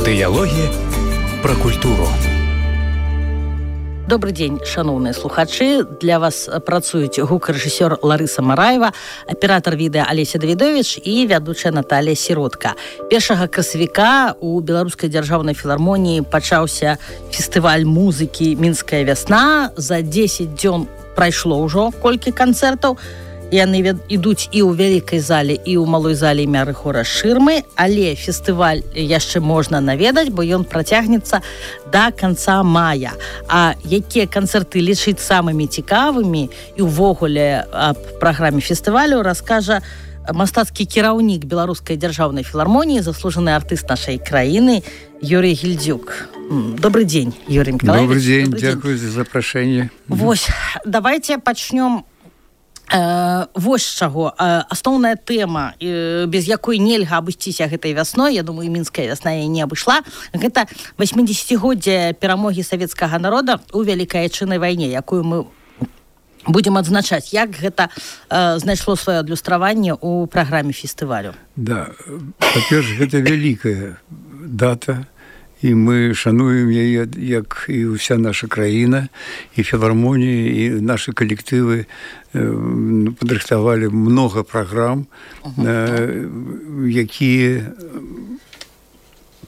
Дыялогі пра культуру. Добрый дзень, шановныя слухачы. Для вас працуюць гукарэжысёр Ларыса Мараева, аператар відэа Алеся Давідович і вядучая Наталія Сіротка. 1 красавіка у Беларускай дзяржаўнай філармоніі пачаўся фестываль музыкі «Мінская вясна». За 10 дзён прайшло ўжо колькі канцэртаў. Яны ідуць і ў вялікай зале, і ў малой зале імя Рыхора Шырмы, але фестываль яшчэ можна наведаць, бо ён працягнецца да канца мая. А якія канцэрты лічыць самымі цікавымі і ўвогуле аб праграме фестывалю раскажа мастацкі кіраўнік Беларускай дзяржаўнай філармоніі, заслужаны артыст нашай краіны Юрий Гільдзюк. Добрый дзень, Юрий Миколаевич. Добрый дзень, дзякую за запрашэнне. Вось, давайте пачнём вось з чаго. Асноўная тэма, без якой нельга абысціся гэтай вясной, я думаю, мінская вясна яе не абышла, гэта 80-годдзе перамогі савецкага народа ў Вялікай Айчыннай вайне, якую мы будзем адзначаць. Як гэта знайшло сваё адлюстраванне ў праграме фестывалю? Да, па-перш, гэта вялікая дата, і мы шануем яе, як і ўся наша краіна, і філармоніі, і нашы калектывы падрыхтавалі многа праграм, якія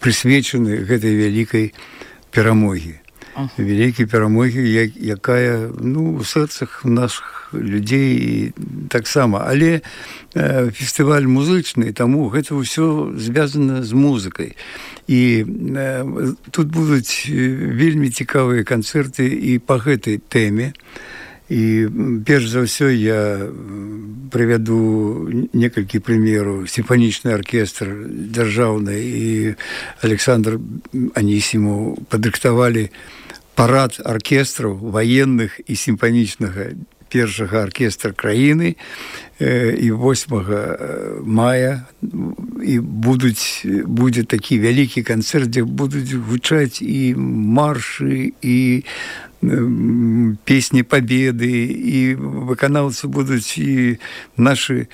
прысвечаны гэтай вялікай перамогі. Вялікай перамогі, якая у сэрцах нашых людзей і таксама. Але фестываль музычны, таму гэта ўсё звязана з музыкай. І тут будуць вельмі цікавыя канцэрты і па гэтай тэме. І перш за ўсё я прывяду некалькі прымераў. Сімфанічны аркестр дзяржаўны і Александр Анісімаў падрыхтавалі парад аркестраў ваенных і сімфанічнага першага аркестра краіны, і 8 мая і будзе такі вялікі канцэрт, дзе будуць гучаць і маршы, і песні пабеды, і выканаўцы будуць і нашы.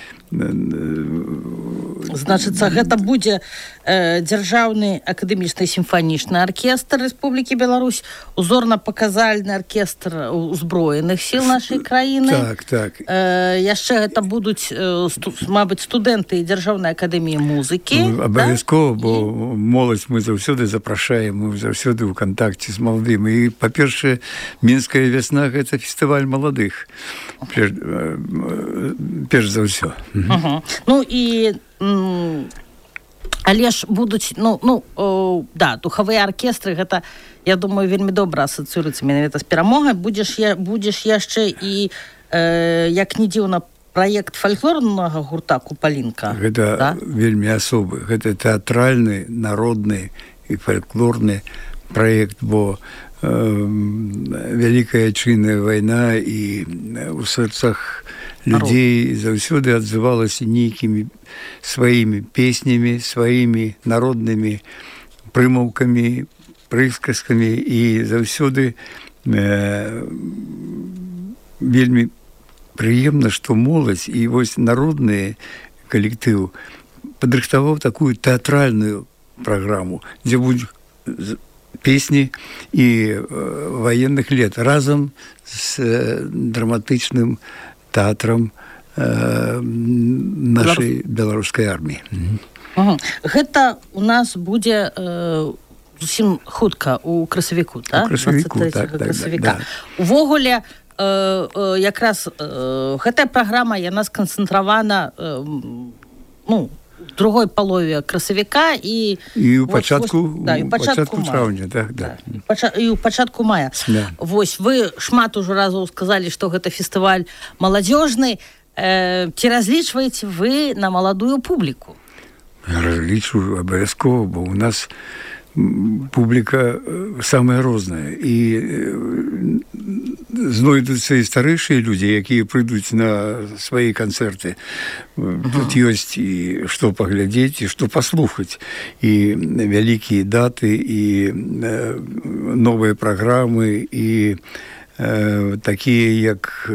Значыцца, гэта будзе дзяржаўны акадэмічны сімфанічны аркестр Рэспублікі Беларусь, узорна-паказальны аркестр узброеных сіл нашай краіны. Так. Яшчэ гэта будуць, мабыць, студэнты дзяржаўнай акадэміі музыкі. Абавязкова, бо моладзь мы заўсёды запрашаем, мы заўсёды ў кантакце з маладым. І, па-першае, Мінская вясна – гэта фестываль маладых, перш за ўсё. Але ж будуць, духавыя аркестры, гэта, я думаю, вельмі добра асацыюецца менавіта з перамогай. Будзеш яшчэ і, як не дзіўна, праект фальклорнага гурта «Купалінка». Гэта вельмі асобы. Гэта тэатральны, народны і фальклорны праект, бо Вялікая Айчынная вайна і ў сэрцах людзей заўсёды адзывалася нейкімі сваімі песнямі, сваімі народнымі прымаўкамі, прысказкамі, і заўсёды вельмі прыемна, што моладзь і вось народны калектыў падрыхтаваў такую тэатральную праграму, дзе будуць песні і ваенных лет разам з драматычным тэатрам нашай беларускай арміі. Гэта у нас будзе зусім хутка у красавіку, так? 23 красавіка. Увогуле, якраз гэтая праграма, яна сканцэнтравана в другой палове красавіка і ў пачатку траўня, і ў пачатку мая. Вось, вы шмат ужо разоў сказалі, што гэта фестываль маладзёжны. Ці разлічваеце вы на маладую публіку? Разлічваю абавязкова, бо ў нас публіка самая розная, і знойдуцца і старэйшыя людзі, якія прыйдуць на свае канцэрты. Тут ёсць і што паглядзець, і што паслухаць, і вялікія даты, і новыя праграмы, і такія як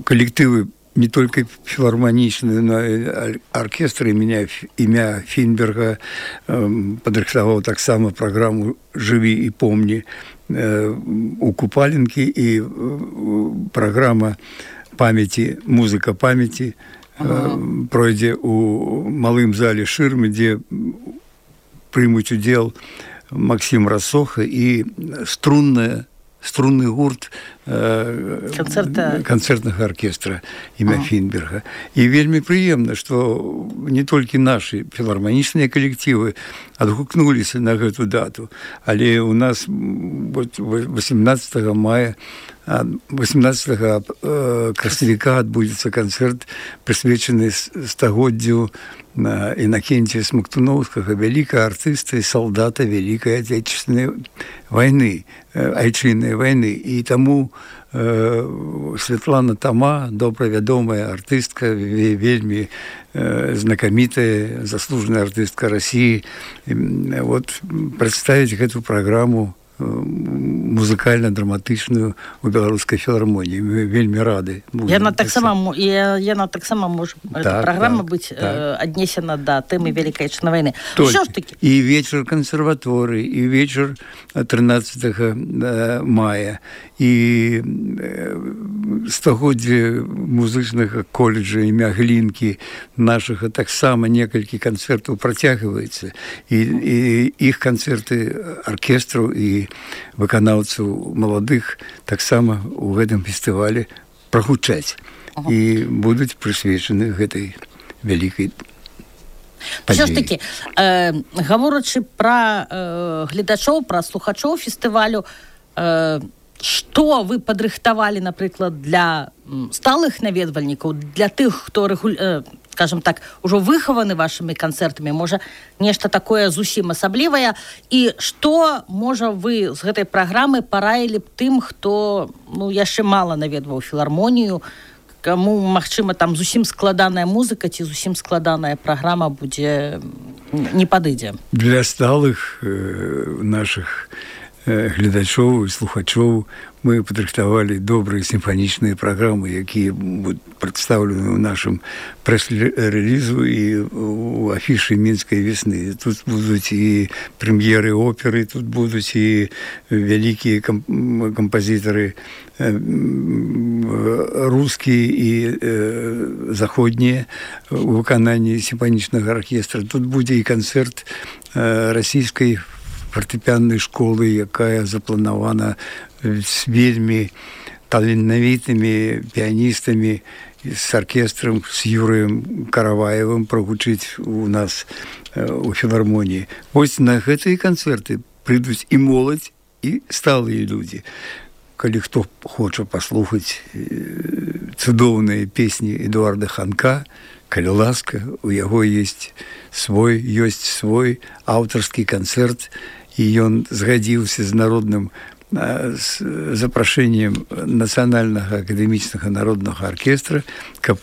калектывы не только филармоничный, но и оркестр імя Фінберга падрыхтаваў таксама праграму «Жыві і помні» у Купаленкі, і праграма памяці, музыка памяці пройдзе у малым зале «Шырмы», дзе прымуць удзел Максим Рассоха і струнны гурт канцэртнага аркестра імя Фінберга. І вельмі прыемна, што не толькі нашы філарманічныя калектывы адгукнуліся на гэту дату, але у нас 18 красавіка адбудзецца канцэрт, прысвечаны стагоддзю Інакенція Смактуноўскага, вялікага артыста і салдата Вялікай Отечественной войны, айчыннай войны. І таму Святлана Тома, добра вядомая артыстка, вельмі знакамітая, заслужаная артыстка России, вот прадставіць гэту праграму музыкальна-драматычную у беларускай філармоніі. Мы вельмі рады. Яна таксама можа, эта праграма быць аднесена да тэмы Вялікай Отечественной войны. Що ж таки? І вечар кансерваторыі, і вечар 13 мая, і стагоддзе музычнага коледжа імя Глінкі нашага таксама некалькі канцэртаў працягваецца, і іх канцэрты аркестраў і выканаўцаў маладых таксама у гэтым фестывалі прагучаць і будуць прысвечаны гэтай вялікай падзеі. Що ж такі, гаворачы пра гледачоў, пра слухачоў фестывалю, што вы падрыхтавалі, напрыклад, для сталых наведвальнікаў, для тых, хто скажем так, ужо выхаваны вашымі канцэртамі, можа, нешта такое зусім асаблівае, і што, можа, вы з гэтай праграмы параілі б тым, хто яшчэ мала наведваў філармонію, каму, магчыма, там зусім складаная музыка ці зусім складаная праграма будзе не падыдзе? Для сталых нашых гледачоў і слухачоў мы падрыхтавалі добрыя сімфанічныя праграмы, якія будуць прадстаўлены ў нашым прэс-рэлізу і ў афішы мінскай весны. Тут будуць і прэм'еры оперы, тут будуць і вялікія кампазітары рускія і заходнія у выкананні сімфанічнага аркестра. Тут будзе і канцэрт расійскай фартэпіяннай школы, якая запланавана з вельмі таленавітымі піяністамі, з аркестрам, з Юрыем Караваевым прагучыць у нас у філармоніі. Вось на гэтыя канцэрты прыйдуць і моладзь, і сталыя людзі. Калі хто хоча паслухаць цудоўныя песні Эдуарда Ханка, калі ласка, у яго ёсць свой аўтарскі канцэрт, і ён згадзіўся з народным запрашэннем Нацыянальнага акадэмічнага народнага аркестра, каб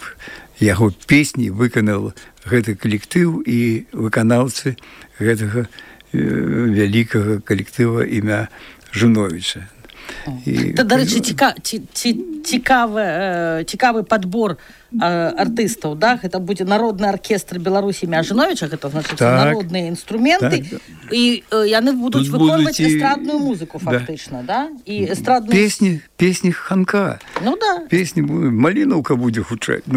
яго песні выканаў гэты калектыў і выканаўцы гэтага вялікага калектыва імя Жуновіча. Дарэчы, цікавы падбор артыстаў, да? Гэта будзе народны аркестр Беларусі імя Жуновіча, гэта значыць народныя інструменты, і яны будуць выконваць эстрадную музыку фактычна, да? І эстрадную песні Ханка. Ну да. Песні Малінаўка будзе гучаць.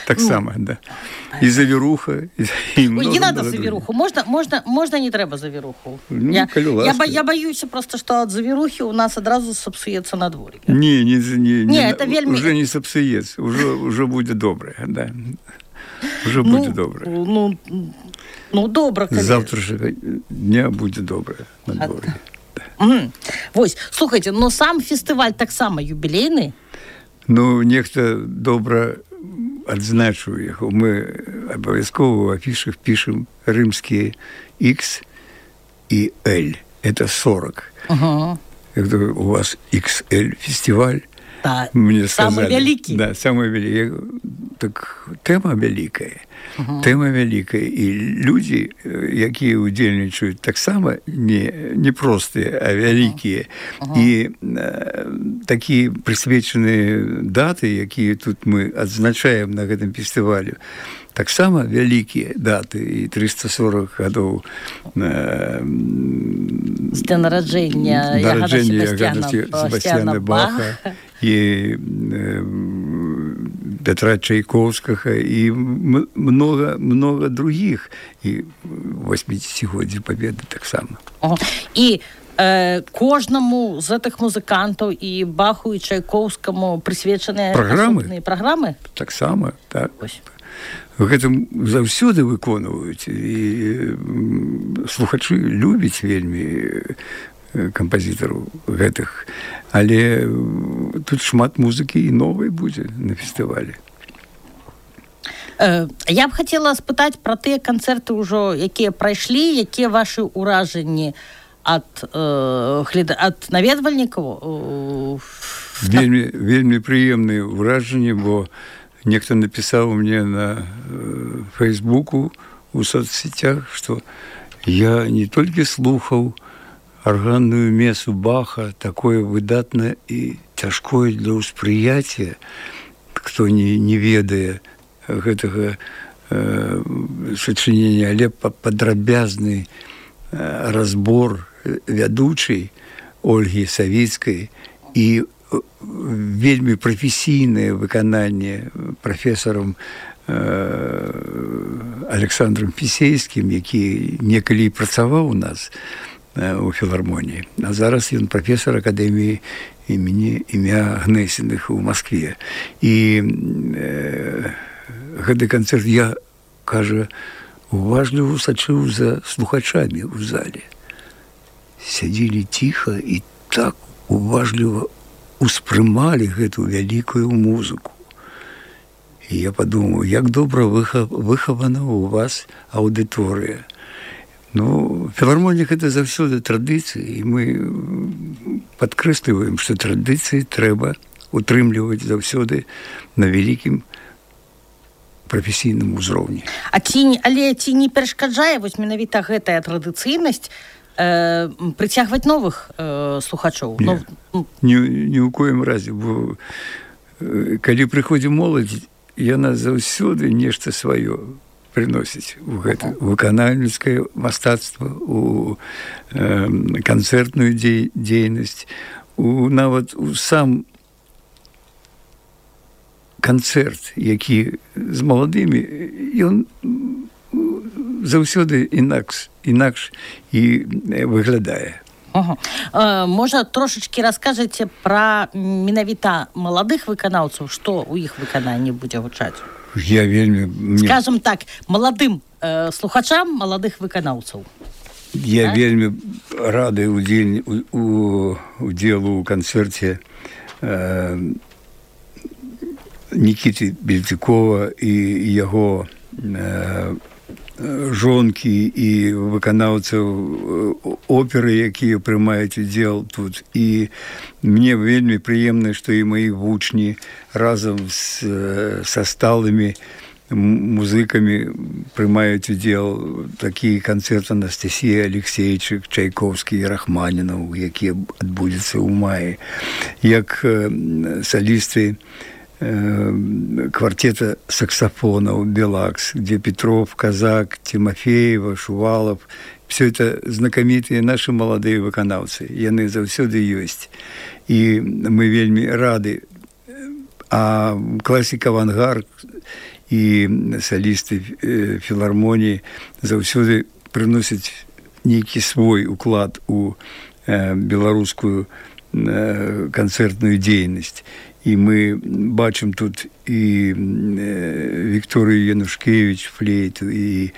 Таксама, да. І завіруха, і много. Не надо завіруху. Можна не трэба завіруху. Я баюся просто, што ад завірухі у нас адразу сапсуецца надвор'е. Не, это вельмі... Уже не сапсуецца, уже будзе добрае, да. Уже будзе добрае. Добра, калі... З завтрашняга дня будзе добрае надвор'е. Вось, слухайце, но сам фестываль таксама юбілейны? Нехта добра адзначыў яго. Мы абавязкова ў афішах пішам рымскія X і L. Это 40. У вас XL фестиваль, Да. Мне Самый вялікі. Да, самый вялікі. Так тэма вялікая. Тэма вялікая. І людзі, якія ўдзельнічаюць, таксама не простыя, а вялікія. І такія прысвечаныя даты, якія тут мы адзначаем на гэтым фестывалю, таксама вялікія даты, і 340 гадоў з дня нараджэння Ягана Себастьяна Баха і Петра Чайковскага і много других, і 80-годдзе Пабеды таксама. І кожнаму з гэтых музыкантаў і Баху і Чайковскаму прысвечаныя асобныя праграмы? Таксама, так. Гэта заўсёды выконваюць, і слухачы любяць вельмі кампазітараў гэтых, але тут шмат музыкі і новай будзе на фестывалі. Я б хацела спытаць пра тыя канцэрты ўжо, якія прайшлі, якія вашы ўражанні ад наведвальнікаў? Вельмі прыемныя ўражанні, бо нехто напісаў мне на Фейсбуку у соцсетях, што я не толькі слухаў арганную месу Баха, такое выдатнае і цяжкое для ўспрыяцця, хто не ведае гэтага сачынення, але падрабязны разбор вядучай Ольгі Савіцкай і вельмі прафесійнае выкананне прафесарам Александром Фісейскім, які некалі працаваў у нас у філармоніі, а зараз ён прафесар акадэміі імя Гнесіных у Маскве. І гэты канцэрт я, кажа, уважліва сачыў за слухачамі ў зале. Сядзелі ціха і так уважліва успрымалі гэту вялікую музыку. І я падумаў, як добра выхавана ў вас аўдыторыя. Ну, філармонія гэта заўсёды традыцыі, і мы падкрэсліваем, што традыцыі трэба утрымліваць заўсёды на вялікім прафесійным узроўні. Але ці не перашкаджае вось менавіта гэтая традыцыйнасць прыцягваць новых слухачоў? Ні ў коім разе, бо калі прыходзі моладзь, яна заўсёды нешта сваё прыносіць у гэта выканальніцкае мастацтва, у канцэртную дзейнасць, нават у сам канцэрт, які з маладымі, ён заўсёды інакш і выглядае. Можа, трошачкі раскажаце пра менавіта маладых выканаўцаў, што ў іх выкананні будзе гучаць? Я вельмі... Скажам так, маладым слухачам маладых выканаўцаў. Я вельмі рады удзелу ў канцэрце Нікіты Бельцікова і яго жонкі і выканаўцаў оперы, якія прымаюць удзел тут. І мне вельмі прыемна, што і мои вучні разам са сталымі музыкамі прымаюць удзел. Такі канцэрт Анастасія Алексейчык, Чайковскі і Рахманінаў, які адбудзецца ў маі. Як салісты квартета саксофонов «Белакс», где Петров, Казак, Тимофеева, Шувалов. Все это знакомитые наши молодые выканаўцы. Яны заўсёды ёсць. І мы вельмі рады. А класік «Авангард» і салісты філармоніі заўсёды прыносяць нейкі свой уклад у беларускую канцэртную дзейнасць. І мы бачым тут і Вікторыю Янушкевіч, флейту, і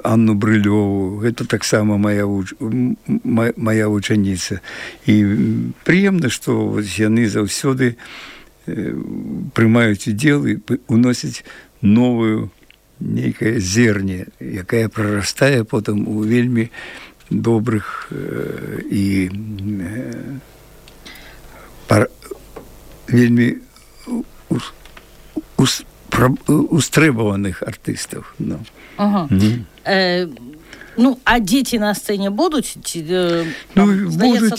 Анну Брылёву. Гэта таксама моя вучаніца. І прыемна, што яны заўсёды прымаюць удзел і уносяць новую нейкае зерне, якая прарастае потым у вельмі добрых і вельмі устрэбаваных артыстаў. Ну, а дзеці на сцэне будуць? Здаецца,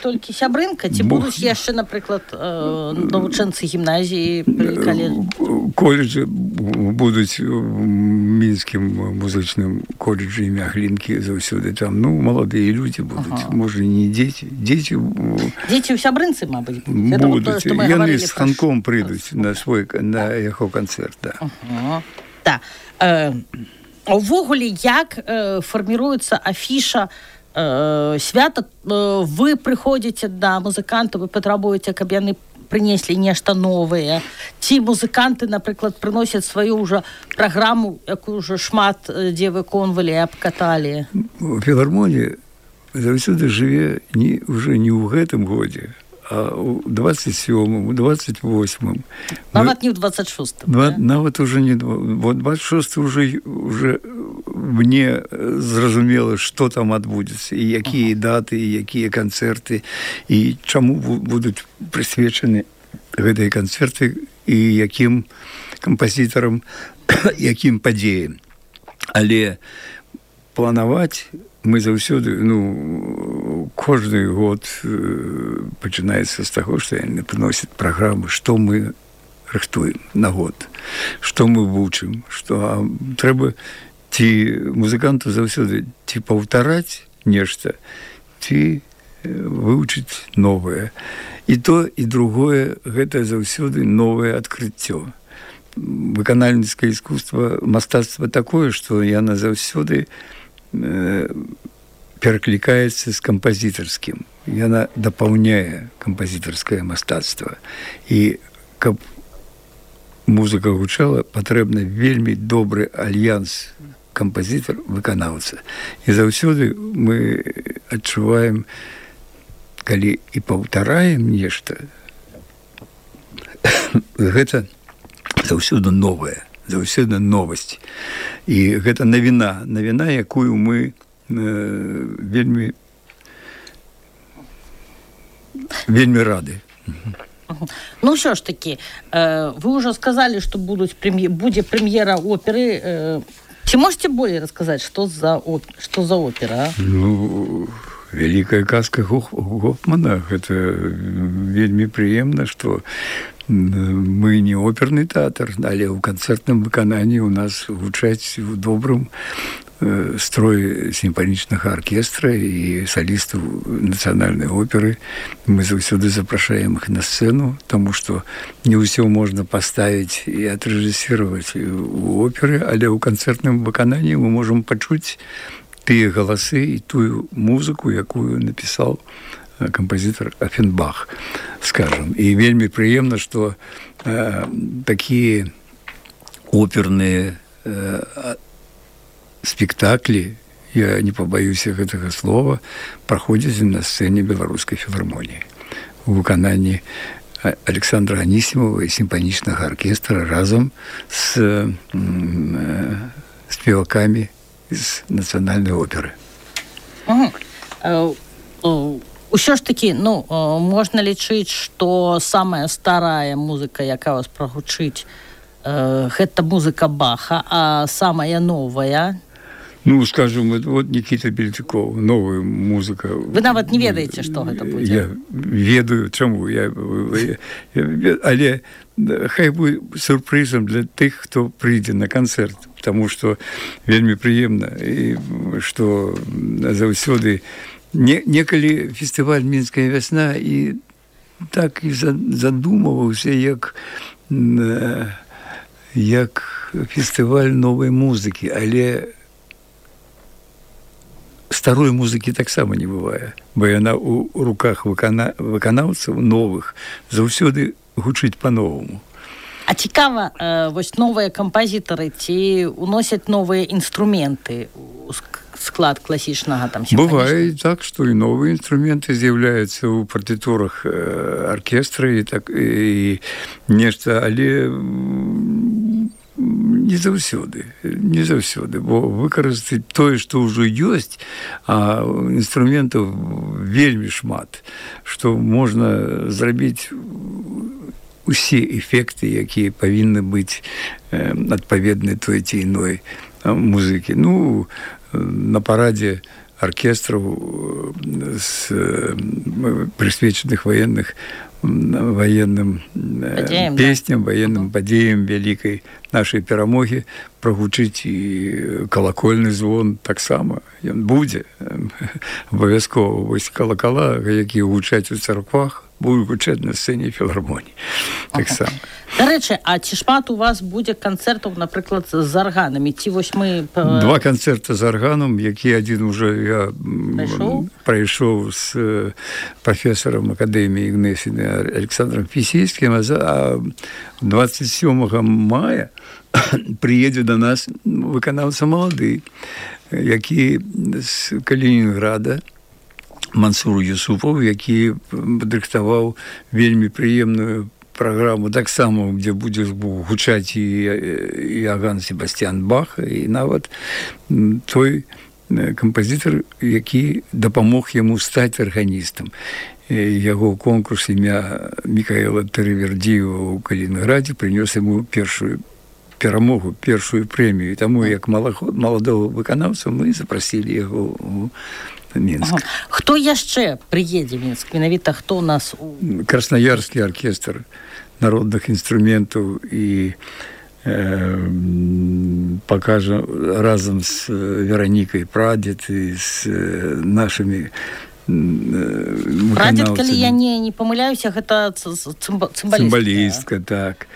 толькі сябрынка? Ці будуць яшчэ, напрыклад, навучэнцы гімназіі пры каледжы? Коледжы будуць у мінскім музычным коледжы імя Глінкі заўсёды там. Ну, маладыя людзі будуць. Можа, не дзеці. Дзеці ў сябрынцы, мабыць, будуць. Яны з ханком прыйдуць на яго канцэрт. Так. Увогуле, як фарміруецца афіша свята? Вы прыходзіце да музыкантаў, вы патрабуеце, каб яны прынеслі нешта новае? Ці музыканты, напрыклад, прыносяць сваю ўжо праграму, якую ўжо шмат дзе выконвалі і абкаталі? Філармонія заўсёды жыве ўжо не ў гэтым годзе, а у 27-м, у 28-м. Нават не ў 26-м. Нават уже не... Вот 26-й уже мне зразумела, што там адбудзецца, і якія даты, і якія канцэрты, і чаму будуць прысвечаны гэтыя канцэрты, і якім кампазітарам, якім падзеям. Але планаваць мы заўсёды, кожны год пачынаецца з таго, што яны прыносяць праграмы, што мы рыхтуем на год, што мы вучым, што трэба ці музыканту заўсёды ці паўтараць нешта, ці вывучыць новае. І то, і другое, гэта заўсёды новае адкрыццё. Выканальніцкае искусство, мастацтва такое, што яна заўсёды пераклікаецца з кампазітарскім. Яна дапаўняе кампазітарскае мастацтва. І каб музыка гучала, патрэбна вельмі добры альянс кампазітар-выканаўца. І заўсёды мы адчуваем, калі і паўтараем нешта, гэта заўсёды новае, заўсёды новасць. І гэта навіна, якую мы вельмі рады. Ну, що ж таки, вы уже сказали, что будзе прэм'ера оперы. Ці можете более рассказать, что за опера? Ну, «Великая казка Гофмана». Это вельмі прыемна, что мы не оперный театр, але ў канцэртным выкананні у нас гучаць у добрым строй сімфанічнага аркестра і салістаў нацыянальнай оперы. Мы заўсёды запрашаем іх на сцэну, таму што не ўсё можна паставіць і адрэжысіраваць у оперы, але ў канцэртным выкананні мы можам пачуць тыя галасы і тую музыку, якую напісаў кампазітар Афенбах, скажем. І вельмі прыемна, што такія оперныя спектаклі, я не пабаюся гэтага слова, праходзяць на сцэне Беларускай філармоніі у выкананні Александра Анісімова і сімфанічнага аркестра разам з спевакамі з нацыянальнай оперы. Усё ж такі, можна лічыць, што самая старая музыка, якая вас прагучыць, гэта музыка Баха, а самая новая? Ну, скажем, вот Никита Бельчуков, новая музыка. Вы нават не ведаеце, што гэта будзе? Я ведаю, чаму. Але хай будзе сюрпрызам для тых, хто прыйдзе на канцэрт, потому што вельмі прыемна, і што заўсёды некалі фестываль «Мінская вясна» і так і задумываўся як фестываль новай музыкі, але старой музыкі таксама не бывае, бо яна ў руках выканаўцаў новых заўсёды гучыць па-новаму. А цікава, вось новыя кампазітары ці уносяць новыя інструменты ў склад класічнага там сімфанічнага? Бывае так, што і новыя інструменты з'яўляюцца ў партытурах аркестра і нешта, але не не заўсёды, бо выкарыстаць тое, што ўжо ёсць, а інструментаў вельмі шмат, што можна зрабіць усе эфекты, якія павінны быць адпаведны той ці іной музыкі. Ну, на парадзе оркестраў прысвечаных военным песням, военным падзеям вялікай нашай перамогі прагучыць і калакольны звон таксама. Ён будзе абавязкова. Вось калакала, якія гучаць у царквах, будуць гучаць на сцэне філармоніі. Таксама. Дарэчы, а ці шмат у вас будзе канцэртаў, напрыклад, з арганамі? Ці вось мы... Два канцэрта з арганам, які адзін уже я прайшоў з прафесарам акадэміі Ігнесіны Александром Фісійскім, а 27 мая прыедзе да нас выканаўца малады, які з Калінінграда, Мансур Юсупов, які падрыхтаваў вельмі прыемную праграму, таксама, дзе будзе гучаць і Иоганн Себастьян Бах, і нават той кампазітар, які дапамог яму стаць арганістам. Яго конкурс імя Мікаэла Тэрывердзіева ў Калінінградзе прынёс яму першую перамогу, першую прэмію. Таму, як маладого выканаўца, мы запрасілі яго ў Мінск. Хто яшчэ прыедзе в Мінск? Менавіта хто у нас? Красноярскі аркестр народных інструментаў і пакажа разам з Веранікай Прадзед і з нашымі выканаўцамі. Прадзед, калі я не памыляюся, гэта цымбалістка. Так.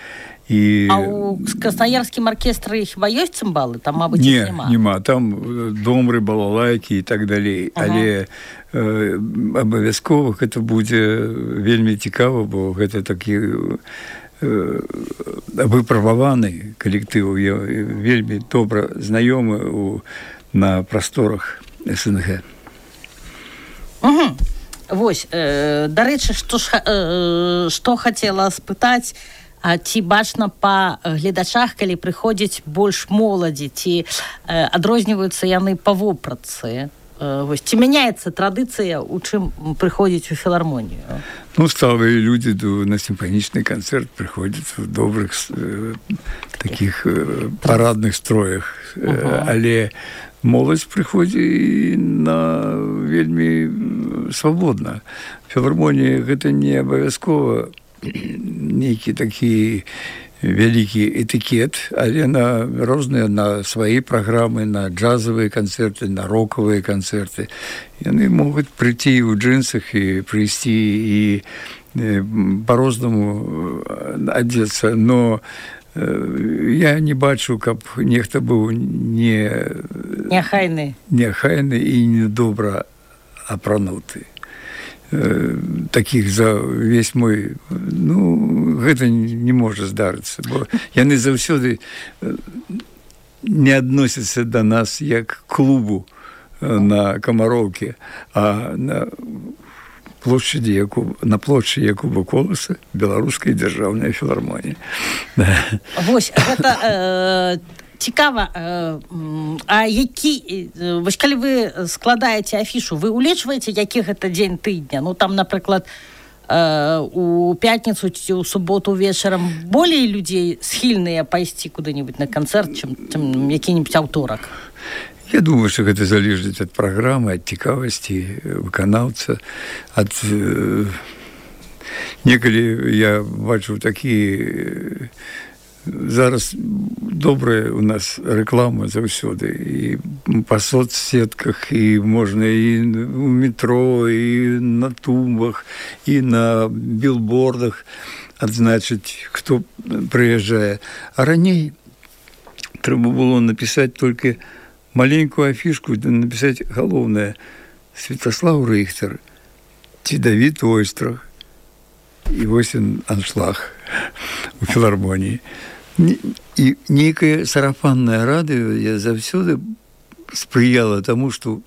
А ў краснаярскім аркестры хіба ёсць цымбалы? Там, мабыць, няма. Там домры, балалайкі і так далей. Але абавязкова гэта будзе вельмі цікава, бо гэта такі выпрабаваны калектыў, вельмі добра знаёмы на прасторах СНГ. Вось, дарэчы, што хацела спытаць, а ці бачна па гледачах, калі прыходзіць больш моладзі, ці адрозніваюцца яны па вопратцы? Вось, ці мяняецца традыцыя, у чым прыходзіць у філармонію? Ну, сталыя людзі на сімфанічны канцэрт прыходзяць у добрых такіх парадных строях, але моладзь прыходзіць на вельмі свабодна. Філармонія гэта не абавязкова нейкі такі вялікі этыкет, але на розныя, на свае праграмы, на джазавыя канцэрты, на рокавыя канцэрты. Яны могуць прыйти ў джинсах і прыйсці і па-рознаму адзецца, но я не бачу, каб нехта быў няхайны і недобра апрануты. Такіх за весь мой... Ну, гэта не можа здарыцца, бо яны заўсёды не адносяцца да нас як клубу на Камароўкі, а на плошчадзі Якуба Коласа Беларускай дзяржаўнай філармоніі. Вось, гэта... Цікава, а вось калі вы складаеце афішу, вы улічваеце, які гэта дзень тыдня? Ну, там, напрыклад, у пятніцу ці ў суботу вечарам болей людзей схільныя пайсці куды-нибудь на канцэрт, чым які-нибудь аўторак? Я думаю, што гэта залежыць ад праграмы, ад цікавасці выканаўца, ад... Некалі я бачу такі... Зараз добрая у нас рэклама заўсёды і па соцсетках, і можна і ў метро, і на тумбах, і на билбордах адзначыць, хто прыязджае. А раней трэба было напісаць толькі маленькую афішку, напісаць галоўнае: Святаслав Рыхтер ці Давід Ойстрах. І вось аншлаг у філармоніі. І нейкае сарафаннае радыё я заўсёды спрыяла таму, што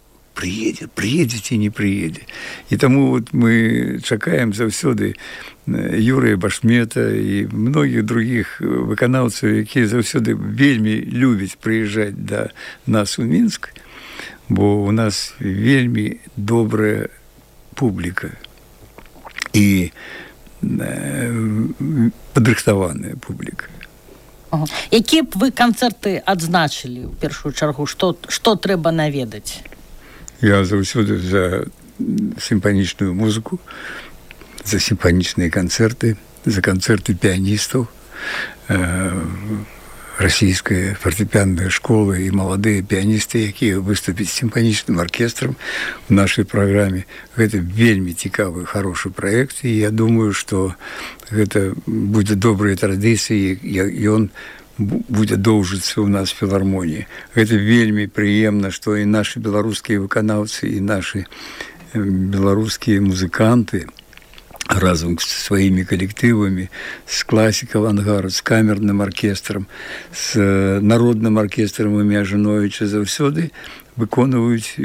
прыедзе ці не прыедзе. І таму вот мы чакаем заўсёды Юрыя Башмета і многіх другіх выканаўцаў, якія заўсёды вельмі любяць прыязджаць да нас у Мінск, бо у нас вельмі добрая публіка і падрыхтаваная публіка. Якія б вы канцэрты адзначылі ў першую чаргу? Што трэба наведаць? Я заўсёды за сімфанічную музыку, за сімфанічныя канцэрты, за канцэрты піяністаў, расійская фартэпіянная школа і маладыя піяністы, якія выступяць з сімфанічным аркестрам у нашай праграме. Гэта вельмі цікавы, хорошы праект, і я думаю, што гэта будзе добрай традыцыяй, і ён будзе доўжыцца ў нас в філармоніі. Гэта вельмі прыемна, што і нашы беларускія выканаўцы, і нашы беларускія музыканты разам з сваімі калектывамі, з класіка авангард, з камерным аркестрам, з народным аркестрам імя Жановіча заўсёды выконваюць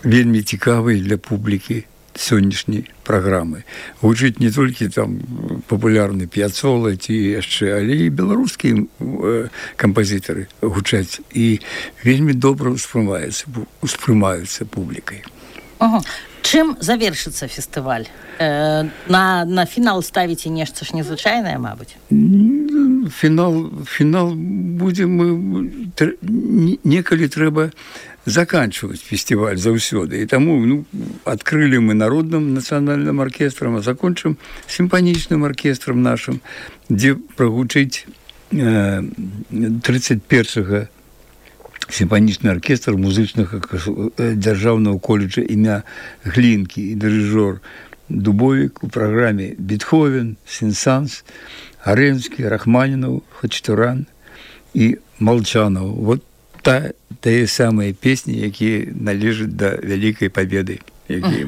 вельмі цікавыя для публікі сённяшняй праграмы. Гучыць не толькі там папулярны П'яцола ці яшчэ, але і беларускія кампазітары гучаць і вельмі добра успрымаюцца публікай. Чым завершыцца фестываль? На фінал ставіце нешта ж незвычайнае, мабыць? Фінал будзе, некалі трэба заканчивать фестиваль заўсёды. І таму адкрылі мы народным нацыянальным аркестрам, а закончым сімфанічным аркестрам нашым, дзе прагучыць 31-га сімфанічны аркестр музычнага дзяржаўнага коледжа імя Глінкі і дырыжор Дубовік у праграме Бетховен, Сен-Санс, Арэнскі, Рахманінаў, Хачатурян і Малчанаў. Вот тыя самыя песні, якія належаць да вялікай пабеды, якія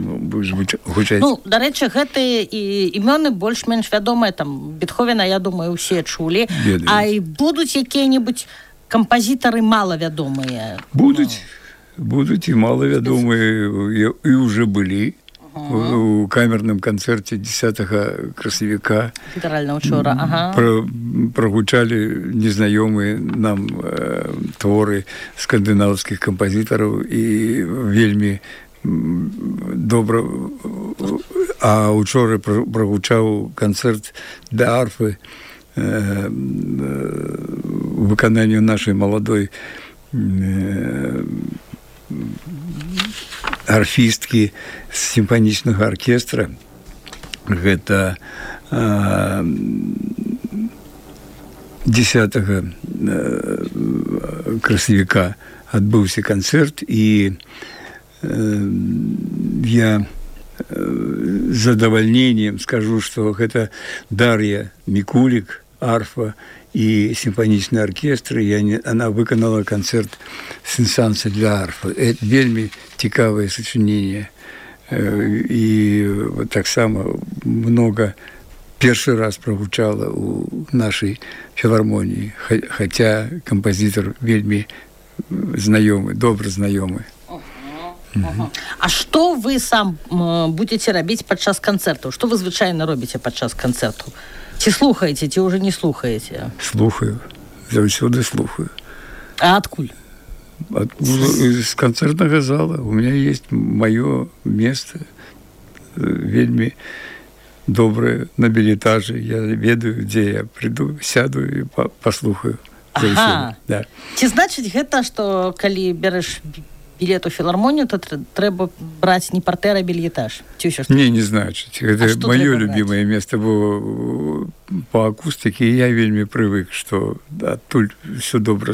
гучаць. Дарэчы, гэтыя імёны больш-менш вядомыя, там Бетховена, я думаю, усе чулі. А і будуць якія-небудзь кампазітары малавядомыя? Будуць і малавядомыя, і ўжо былі. У камерным канцэрце 10 красавіка прагучалі незнаёмыя нам творы скандынаўскіх кампазітараў і вельмі добра. А учора прагучаў канцэрт для арфы выкананню нашай маладой арфісткі з сімфанічнага аркестра. Гэта 10 красавіка адбыўся канцэрт, і я з задавальненнем скажу, што гэта Дар'я Мікулік, арфа і сімфанічны аркестр, і она выканала канцэрт Сен-Санса для арфы. Это вельмі цікавае сачыненне. І таксама много першы раз прагучала у нашай філармоніі, хаця кампазітар вельмі знаёмы, добра знаёмы. А што вы сам будзеце рабіць падчас канцэртаў? Што вы звычайна робіце падчас канцэрту? Ці слухаеце, ці ўжо не слухаеце? Слухаю, заўсёды слухаю. А адкуль? З канцэртнага зала. У меня есть маё место, вельмі добрае, на білетажы. Я ведаю, дзе я прыйду, сяду і паслухаю. Ага. Да. Ці значыць гэта, што калі береш білет у філармонію, то трэба браць не партэр, а бельетаж? Не значыць. Гэта маё любімае место, бо па акустыке я вельмі прывык, што адтуль все добра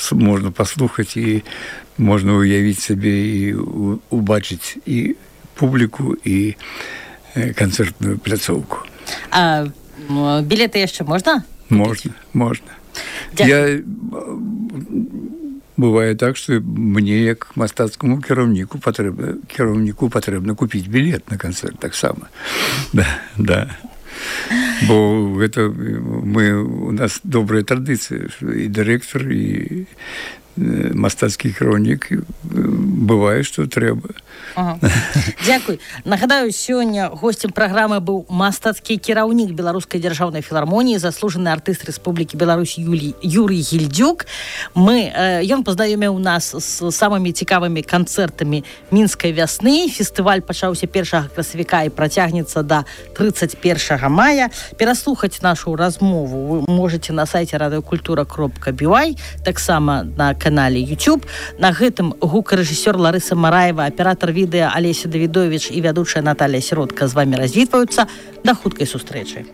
можна паслухаць, і можна уявіць сабе і убачыць і публіку, і канцэртную пляцоўку. А білеты яшчэ можна? Можна. Я... Бывае так, што мне, як мастацкаму кіраўніку патрэбна купіць білет на канцэрт таксама. Да. Бо гэта у нас добрая традыцыя, і дырэктар, і мастацкіх хронік бывае, што трэба. Дзякуй. Нагадаю, сёння гостем праграмы быў мастацкі кіраўнік Беларускай дзяржаўнай філармоніі, заслужаны артыст Рэспублікі Беларусь Юрый Гільдзюк. Ён пазнаёміў нас з самымі цікавымі канцэртамі мінскай вясны. Фестываль пачаўся 1 красавіка і працягнецца да 31 мая. Пераслухаць нашу размову вы можете на сайце radiokultura.by, таксама на канале YouTube. На гэтым гукарэжысёр Ларыса Мараева, аператор відэа Алеся Давідовіч і вядучая Наталія Сіротка з вамі развітваюцца. Да хуткай сустрэчы.